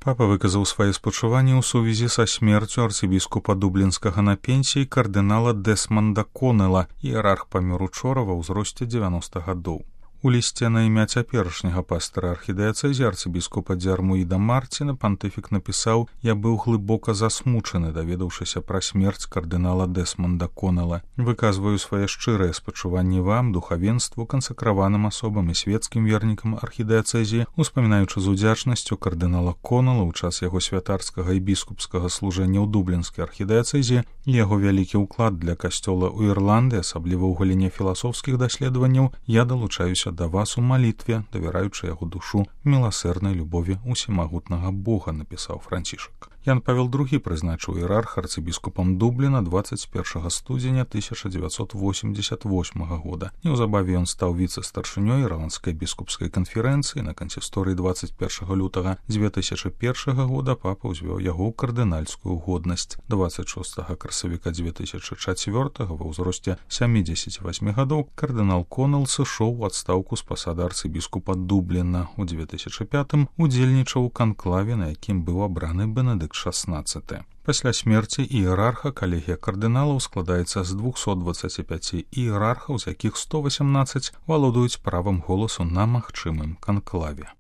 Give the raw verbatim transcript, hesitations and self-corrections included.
Папа выказаў свае спачуванні ў сувязі са смерцю арцыбіскупа дублінскага на пенсіі кардынала Дэсманда Конела, іерарх памёр учора ва ўзросце дзевяноста гадоў. У лісце на імя цяперашняга пастара архідыяцэзі арцыбіскупа Дзярмуіда Марціна пантыфік напісаў: «Я быў глыбока засмучаны, даведаўшыся пра смерць кардынала Дэсманда Конела. Выказваю свае шчырыя спачуванні вам, духавенству, кансакраваным асобам і свецкім вернікам архідыяцэзі, успамінаючы з удзячнасцю кардынала Конела ў час яго святарскага і біскупскага служэння ў дублінскай архідыяцэзі і яго вялікі ўклад для касцёла ў Ірландыі, асабліва ў галіне філасофскіх даследаванняў, я далучаюся да вас у малітве, давяраючы яго душу міласэрнай любові усімагутнага Бога», напісаў Францішак. Ян Павел другі прызначыў іерарха арцыбіскупам Дубліна дваццаць першага студзеня тысяча дзевяцьсот восемьдесят восьмага года. Неўзабаве ён стаў віцэ-старшынёй Ірландскай біскупскай канферэнцыі. На кансісторыі дваццаць першага лютага дзве тысячы першага года папа ўзвёў яго ў кардынальскую годнасць. дваццаць шостага красавіка дзве тысячы чацвёртага ва ўзросце сямідзесяці васьмі гадоў кардынал Конел сышоў у адстаўку з пасады арцыбіскупа Дубліна. У дзве тысячы пятым удзельнічаў у канклаве, на якім быў абраны Бенедыкт шаснаццаты. Пасля смерці іерарха калегія кардыналаў складаецца з двухсот дваццаці пяці іерархаў, з якіх сто васямнаццаць валодаюць правам голасу на магчымым канклаве.